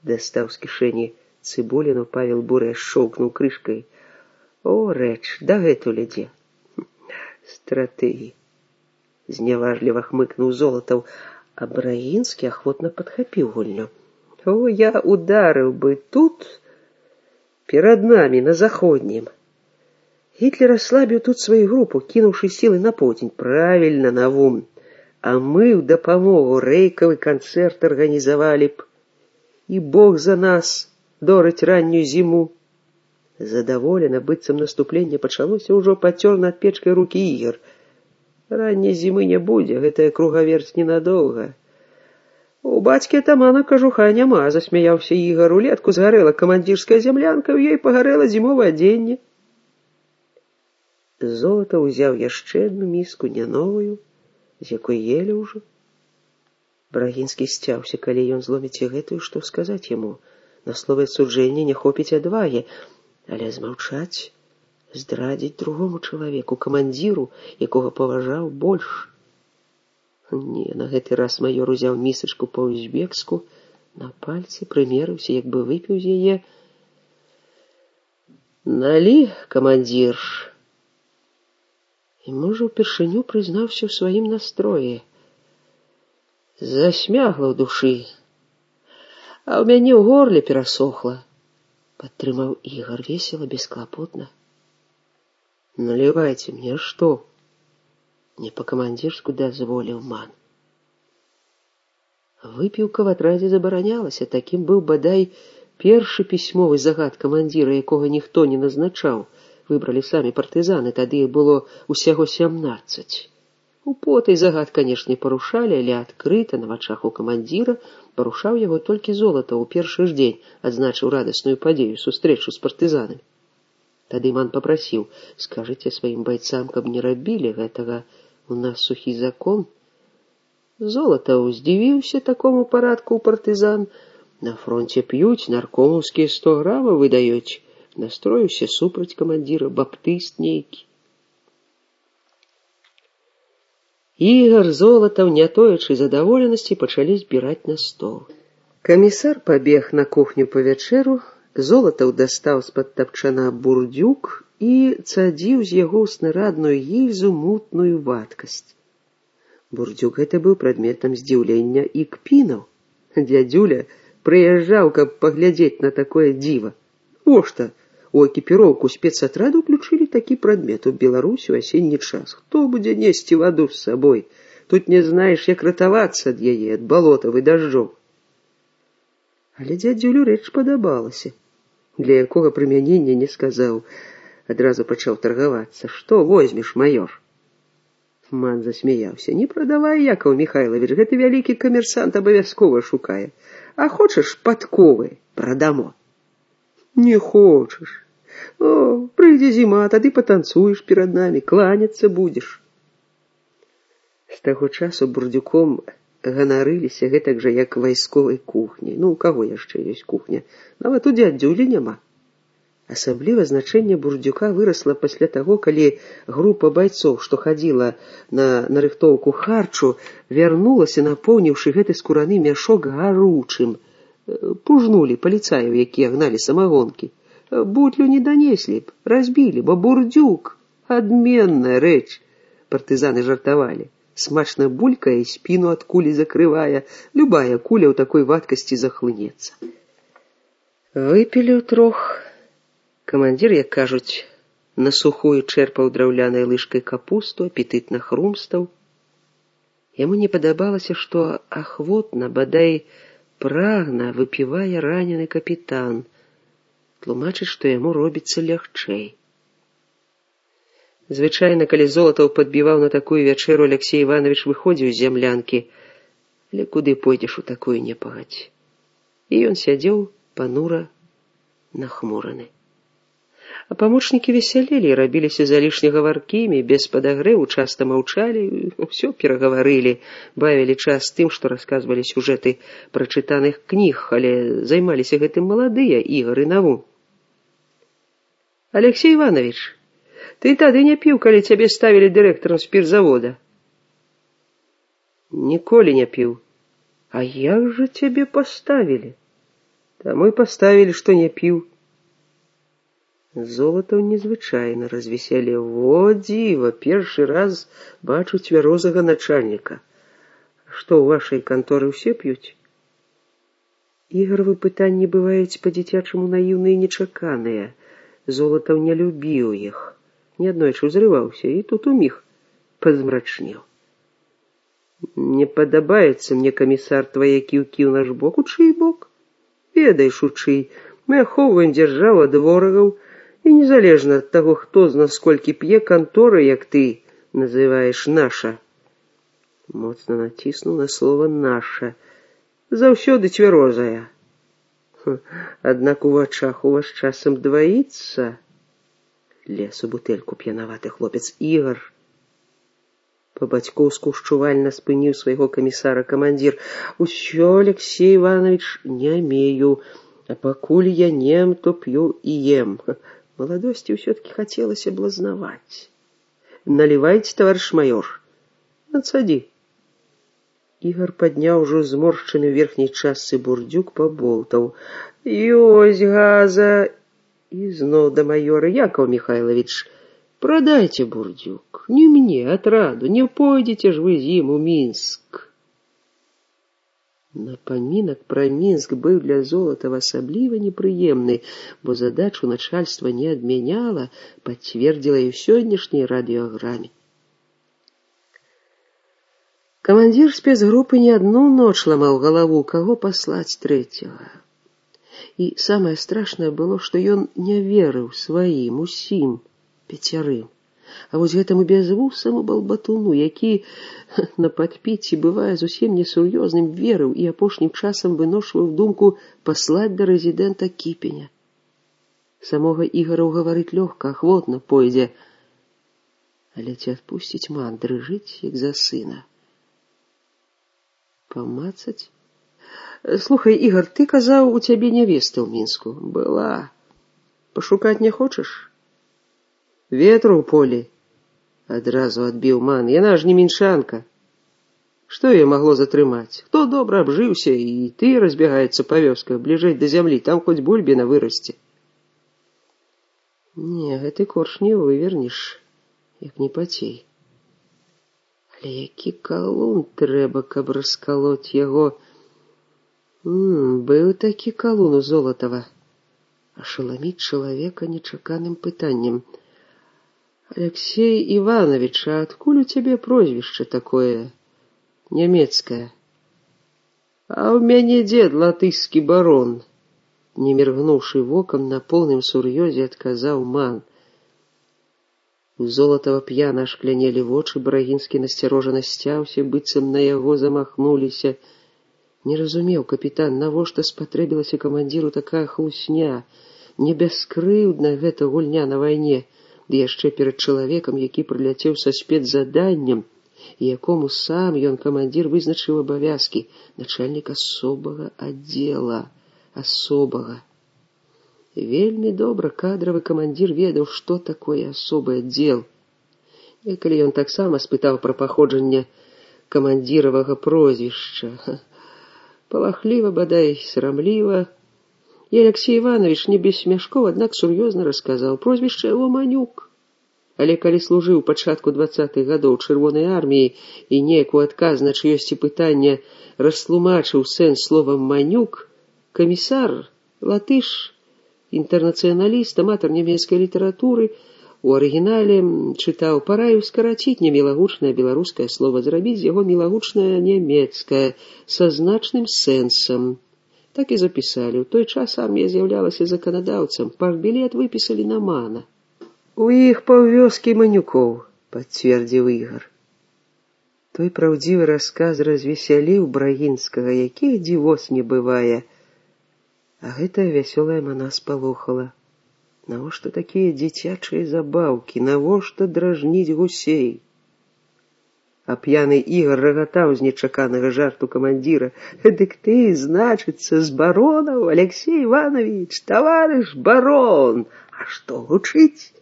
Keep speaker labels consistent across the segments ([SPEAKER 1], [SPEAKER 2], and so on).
[SPEAKER 1] Дастаў з кішэні цыбуліну, Павел буры шчоўкнуў крышкай. О, рэч, дагэтуль ідзе. Стратэгій. Зняважліва хмыкнуў Золатаў, а Браінскі ахвотна падхапіў гульню. О, я ударыў бы тут, перад намі, на заходнім. Гітлер аслабіў тут сваю групу, кінуўшы сілы на поўдзень. Правільна, Навум. А мы ў дапамогу рэйкавы канцэрт арганізавалі б. І Бог за нас дораць раннюю зіму. Задаволена, быццам наступленне пачалося, ўжо пацёр над печкай рукі Ігар. Ранняй зімы не будзе, гэтая кругаверць ненадоўга. У бацькі атамана кажуха няма, засмяяўся Ігар. Улетку згарэла камандзірская зямлянка, у ёй пагарэла зімовае адзенне. Золата ўзяў яшчэ адну міску, не новую, з якой елі ўжо. Брагінскі сцяўся, калі ён зломіць і гэтую, што сказаць яму. На словы суджэння не хопіць адвагі, але змаўчаць, здрадзіць другому чалавеку, камандзіру, якога паважаў больш. Не, на гэты раз маёр узяў місачку па-узбекску, на пальцы прымерыўся, як бы выпіў з яе. Налі, камандзір. І, можа, упершыню прызнаўся ў сваім настроі. Засмягла ў душы, а ў мяне ў горле перасохла. Падтрымаў Ігар весела, бесклапотна. Налівайце мне, што? Не па-камандзірску дазволіў ман. Выпіўка в атрадзе забаранялася, такім быў бадай першы пісьмовы загад камандзіра, якога ніхто не назначаў. Выбралі самі партызаны, тады іх было усяго 17. У потай загад, канешне, парушалі, але адкрыта на вачах у камандзіра парушаў яго толькі Золатаў у першы ж дзень, адзначыў радасную падзею, сустрэчу з партызанамі. Тады ман папрасіў, скажыце сваім байцам, каб не рабілі гэтага, у нас сухі закон. Золатаў здзівіўся такому парадку ў партызан. На фронте п'юць, наркомаўскія 100 грамаў выдаюць. Настроіўся супраць камандзіра, баптыст нейкі. Ігар, Золатаў, не тоячы задаволенасці, пачалі збіраць на стол. Камісар пабег на кухню па вячэру, Золатаў дастаў з-пад тапчана бурдзюк і цадзіў з яго ў снарадную гільзу мутную вадкасць. Бурдзюк гэта быў прадметам здзіўлення і кпінаў. Дядзюля прыязджаў, каб паглядзець на такое дзіва. О што, у экіпіроўку спецатраду ўключылі такі прадмет у Беларусі ў асенні час. Хто будзе несці ваду з сабой? Тут не знаеш, як ратавацца ад яе, ад балотаў і дажджоў. Але дзядзюлю рэч падабалася. Для якога прымянення не сказаў. Адразу пачаў таргавацца. Што возьмеш, маёр? Ман засмяяўся. Не прадавай, Якаў Міхайлавіч, гэты вялікі камерсант абавязкова шукае. А хочаш падковы? Прадамо. Не хочаш. О, прыйдзе зіма, тады патанцуеш перад намі, кланяцца будзеш. З таго часу бурдзюком ганарыліся гэтак жа, як вайсковай кухняй. Ну, у каго яшчэ ёсць кухня? Нават у дзядзюлі няма. Асабліва значэнне бурдзюка вырасла пасля таго, калі група байцоў, што хадзіла на нарыхтоўку харчу, вярнулася, напоўніўшы гэты скураны мяшок гаручым. Пужнулі паліцаяў, якія гналі самагонкі. Бутлю не данеслі б, разбілі, бо бурдзюк — адменная рэч. Партызаны жартавалі. Смачна булькае, спіну ад кулі закрывае. Любая куля ў такой вадкасці захлынецца. Выпілі ўтрох. Камандзір, як кажуць, на сухую чэрпаў драўлянай лыжкай капусту, апетытна хрумстаў. Яму не падабалася, што ахвотна, бадай прагна выпівае ранены капітан, тлумачыць, што яму робіцца лягчэй. Звычайна, калі Золатаў падбіваў на такую вячэру, Аляксей Іванович выходзіў з зямлянкі, але куды пойдзеш у такую непагадзь? І ён сядзеў панура нахмураны. А памочнікі весялелі, рабіліся залішне гаваркімі, без падагрэву, часта маўчалі, ўсё перагаварылі, бавілі час тым, што расказвалі сюжэты прачытаных кніг, але займаліся гэтым маладыя Ігар і Навум. Аляксей Іванович, ты тады не піў, калі цябе ставілі дырэктарам спіртзавода? Ніколі не піў. А як жа цябе паставілі? Таму і паставілі, што не піў. Золатаў незвычайна развесялеў. Во дзіва, першы раз бачу цвярозага начальніка. Што, ў вашай канторы ўсе п'юць? Ігравы пытанні бываюць па-дзіцячаму наіўныя і нечаканыя. Золатаў не любіў іх. Неаднойчы ўзрываўся, і тут уміг пазмрачнеў. Не падабаецца мне, камісар, твае кіўкі ў наш бок. У чый бок? Ведаеш, у чый. Мы ахоўваем дзяржаву ад ворагаў, і незалежна ад таго, хто з нас колькі п'е, кантора, як ты называеш, наша. Моцна націснуў на слова «наша». Заўсёды цвярозая. Аднак у вачах у вас часам дваіцца. Лез у бутэльку п'янаваты хлопец. Ігар. Па-бацькоўску шчувальна спыніў свайго камісара камандзір. Усё, Алексей Иванович, не мею, а пакуль я нем, то п'ю і ем. Маладосці ўсё-таки хацелася блазнаваць. Налівайце, таварыш майор. Надсадзі. Ігар падняў ужо зморшчаны ў верхняй частцы бурдзюк, паболтаў. Ёсць газа. І зноў да майора. Якаў Михайлович, продайте бурдюк. Не мне, отраду. Не пойдете ж вы з ім у Мінск. Напамінак пра Мінск быў для Золатава асабліва непрыемны, бо задачу начальства не адмяняла, пацвердзіла і ў сённяшняй радыёграме. Камандзір спецгрупы не адну ноч ламаў галаву, каго паслаць трэцяга. І самае страшнае было, што ён не верыў сваім, усім, 5. А вось гэтаму бязвусаму балбатуну, які на падпіці бывае зусім несур'ёзным, верыў і апошнім часам выношваў думку паслаць да рэзідэнта Кіпеня. Самога Ігара ўгаварыць лёгка, ахвотна пойдзе. Але ці адпусціць ман, дрыжыць, як за сына. Памацаць? Слухай, Ігар, ты казаў, у цябе нявеста ў Мінску. Была. Пашукаць не хочаш? Ветру ў полі. Адразу адбіў ман. Яна ж не мінчанка. Што яе магло затрымаць? Хто добра абжыўся, і ты разбягаецца па вёсках, бліжэй да зямлі, там хоць бульбіна вырасце. Не, гэты корч не вывернеш, як не пацей. Але які калун трэба, каб раскалоць яго. Быў такі калун у Золатава. Ашаламіць чалавека нечаканым пытаннем. Алексей Иванович, а адкуль у цябе прозвішча такое нямецкае? А ў мяне дзед латышскі барон. Не міргнуўшы вокам, на поўным сур'ёзе адказаў ман. У Золатава п'яна ашклянелі вочы, Брагінскі насцярожана сцяўся, быццам на яго замахнуліся. Не разумеў капітан, навошта спатрэбілася камандзіру такая хлусня. Не бяскрыўдна гэта гульня на вайне, ды яшчэ перад чалавекам, які прыляцеў са спецзаданнем, і якому сам ён, камандзір, вызначыў абавязкі, начальнік асобага аддзела. Асобага. Вельмі добра кадравы камандзір ведаў, што такое асобы аддзел. Некалі ён таксама спытаў пра паходжанне камандзіравага прозвішча. Палахліва, бадай, срамліва. І Алексей Иванович не без смяшкоў, аднак сур'ёзна расказаў. Прозвішча яго Манюк. Але калі служыў пачатку 20-х гадоў Чырвонай арміі і неяк у адказ на чыёсьці пытанне растлумачыў сэнс словам Манюк, камісар, латыш, інтэрнацыяналіст, аматар нямецкай літаратуры, у арыгінале чытаў, параіў скараціць немілагучнае беларускае слова, зрабіць з яго мілагучнае нямецкае, са значным сэнсам. Так і запісалі. У той час армія з'яўлялася заканадаўцам, партбілет выпісалі на мана. У іх паўвёскі Манюкоў, пацвердзіў Ігар. Той праўдзівы расказ развесяліў Брагінскага, якіх дзівос не бывае. А гэтая вясёлая мана спалохала. Навошта такія дзіцячыя забаўкі? Навошта дражніць гусей? А п'яны Ігар рагатаў з нечаканага жарту камандзіра. Дык ты, значыцца, з баронаў, Алексей Иванович, таварыш барон. А што гучыць?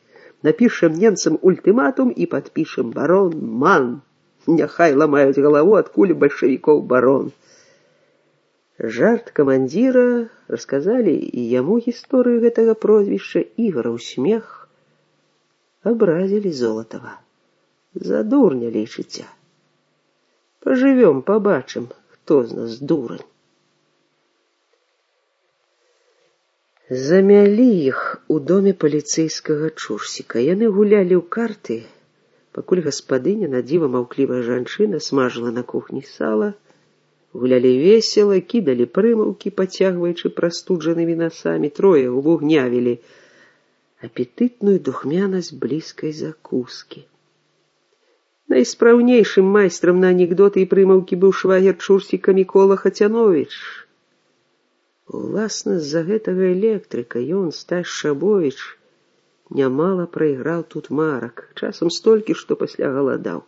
[SPEAKER 1] Напішам немцам ультыматум і падпішам барон Ман. Няхай ламаюць галаву, адкуль бальшавікоў барон. Жарт камандзіра, расказалі і яму гісторыю гэтага прозвішча, Ігораў смех, абразілі Золатава. За дурня лічыце. Пажывём, пабачым, хто з нас дурань. Замялі іх у доме паліцэйскага чурсіка. Яны гулялі ў карты, пакуль гаспадыня, надзіва маўклівая жанчына, смажыла на кухні сала. Гулялі весела, кідалі прымаўкі, пацягваючы прастуджанымі насамі. Трое увугнявілі апетытную духмянасць блізкай закускі. Найспраўнейшым майстрам на анекдоты і прымаўкі быў швагер чурсіка Мікола Хацяновіч. Уласна, з-за гэтага электрыка ён, Стась Шабовіч, нямала прайграў тут марак, часам столькі, што пасля галадаў.